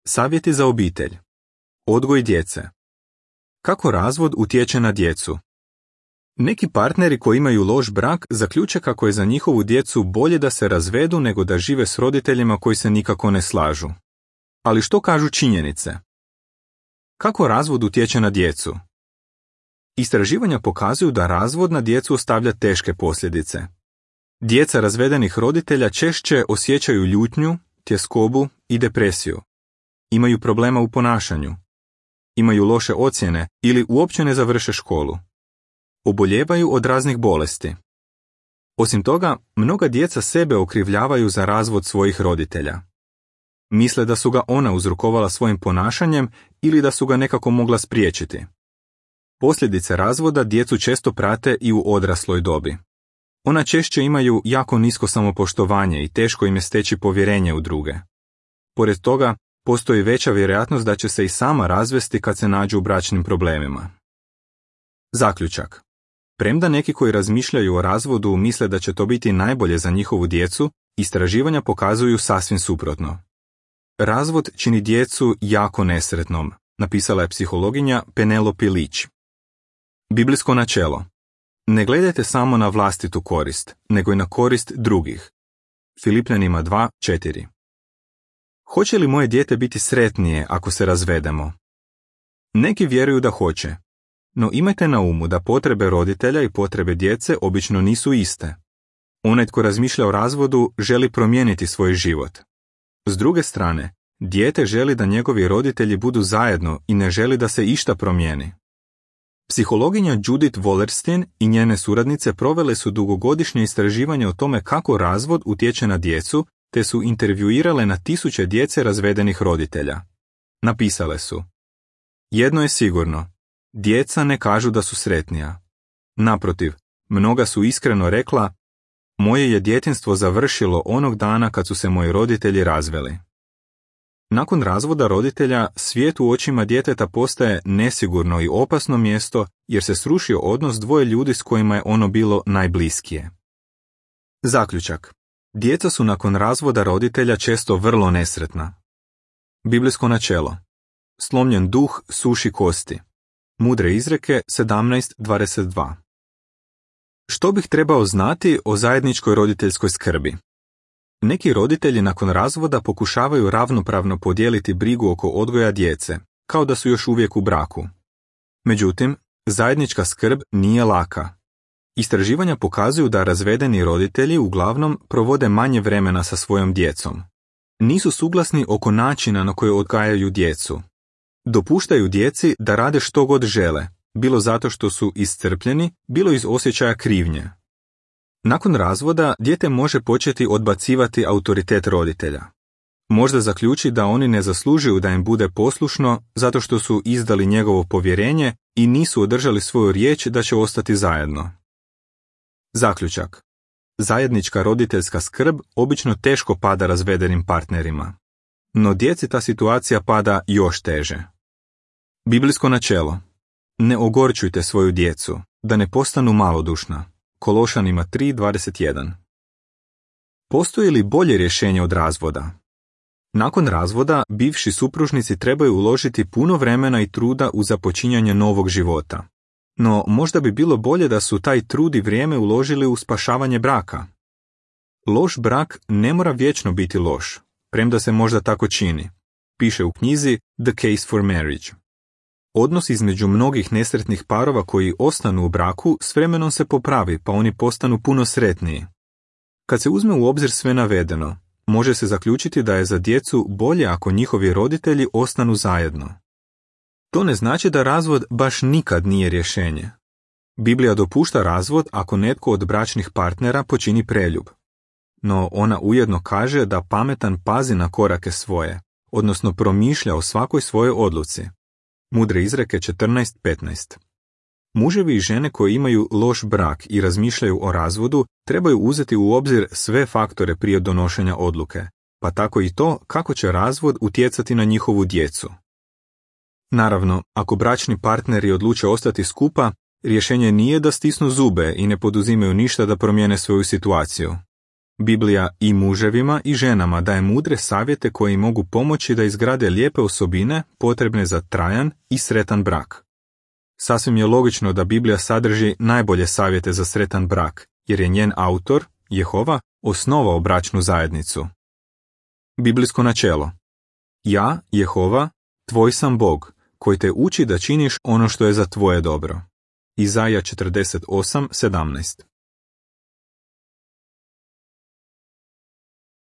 Savjeti za obitelj. Odgoj djece. Kako razvod utječe na djecu? Neki partneri koji imaju loš brak zaključe kako je za njihovu djecu bolje da se razvedu nego da žive s roditeljima koji se nikako ne slažu. Ali što kažu činjenice? Kako razvod utječe na djecu? Istraživanja pokazuju da razvod na djecu ostavlja teške posljedice. Djeca razvedenih roditelja češće osjećaju ljutnju, tjeskobu i depresiju. Imaju problema u ponašanju. Imaju loše ocjene ili uopće ne završe školu. Oboljevaju od raznih bolesti. Osim toga, mnoga djeca sebe okrivljavaju za razvod svojih roditelja. Misle da su ga ona uzrokovala svojim ponašanjem ili da su ga nekako mogla spriječiti. Posljedice razvoda djecu često prate i u odrasloj dobi. Ona češće imaju jako nisko samopoštovanje i teško im je steći povjerenje u druge. Pored toga, postoji veća vjerojatnost da će se i sama razvesti kad se nađu u bračnim problemima. Zaključak. Premda neki koji razmišljaju o razvodu misle da će to biti najbolje za njihovu djecu, istraživanja pokazuju sasvim suprotno. Razvod čini djecu jako nesretnom, napisala je psihologinja Penelope Leach. Biblijsko načelo. Ne gledajte samo na vlastitu korist, nego i na korist drugih. Filipljanima 2:4. Hoće li moje dijete biti sretnije ako se razvedemo? Neki vjeruju da hoće, no imajte na umu da potrebe roditelja i potrebe djece obično nisu iste. Onaj tko razmišlja o razvodu želi promijeniti svoj život. S druge strane, dijete želi da njegovi roditelji budu zajedno i ne želi da se išta promijeni. Psihologinja Judith Wallerstein i njene suradnice provele su dugogodišnje istraživanje o tome kako razvod utječe na djecu, te su intervjuirale na tisuće djece razvedenih roditelja. Napisale su: jedno je sigurno, djeca ne kažu da su sretnija. Naprotiv, mnoga su iskreno rekla: moje je djetinjstvo završilo onog dana kad su se moji roditelji razveli. Nakon razvoda roditelja, svijet u očima djeteta postaje nesigurno i opasno mjesto jer se srušio odnos dvoje ljudi s kojima je ono bilo najbliskije. Zaključak. Djeca su nakon razvoda roditelja često vrlo nesretna. Biblijsko načelo. Slomljen duh suši kosti. Mudre izreke 17:22. Što bih trebao znati o zajedničkoj roditeljskoj skrbi? Neki roditelji nakon razvoda pokušavaju ravnopravno podijeliti brigu oko odgoja djece, kao da su još uvijek u braku. Međutim, zajednička skrb nije laka. Istraživanja pokazuju da razvedeni roditelji uglavnom provode manje vremena sa svojom djecom. Nisu suglasni oko načina na koji odgajaju djecu. Dopuštaju djeci da rade što god žele, bilo zato što su iscrpljeni, bilo iz osjećaja krivnje. Nakon razvoda dijete može početi odbacivati autoritet roditelja. Možda zaključi da oni ne zaslužuju da im bude poslušno zato što su izdali njegovo povjerenje i nisu održali svoju riječ da će ostati zajedno. Zaključak. Zajednička roditeljska skrb obično teško pada razvedenim partnerima. No djeci ta situacija pada još teže. Biblijsko načelo. Ne ogorčujte svoju djecu, da ne postanu malodušna. Kološanima 3:21. Postoji li bolje rješenje od razvoda? Nakon razvoda, bivši supružnici trebaju uložiti puno vremena i truda u započinjanje novog života. No, možda bi bilo bolje da su taj trud i vrijeme uložili u spašavanje braka. Loš brak ne mora vječno biti loš, premda se možda tako čini, piše u knjizi The Case for Marriage. Odnos između mnogih nesretnih parova koji ostanu u braku s vremenom se popravi pa oni postanu puno sretniji. Kad se uzme u obzir sve navedeno, može se zaključiti da je za djecu bolje ako njihovi roditelji ostanu zajedno. To ne znači da razvod baš nikad nije rješenje. Biblija dopušta razvod ako netko od bračnih partnera počini preljub. No ona ujedno kaže da pametan pazi na korake svoje, odnosno promišlja o svakoj svojoj odluci. Mudre izreke 14:15. Muževi i žene koji imaju loš brak i razmišljaju o razvodu trebaju uzeti u obzir sve faktore prije donošenja odluke, pa tako i to kako će razvod utjecati na njihovu djecu. Naravno, ako bračni partneri odluče ostati skupa, rješenje nije da stisnu zube i ne poduzimaju ništa da promijene svoju situaciju. Biblija i muževima i ženama daje mudre savjete koji im mogu pomoći da izgrade lijepe osobine potrebne za trajan i sretan brak. Sasvim je logično da Biblija sadrži najbolje savjete za sretan brak, jer je njen autor, Jehova, osnovao bračnu zajednicu. Biblijsko načelo. Ja, Jehova, tvoj sam Bog, koji te uči da činiš ono što je za tvoje dobro. Izaja 48:17.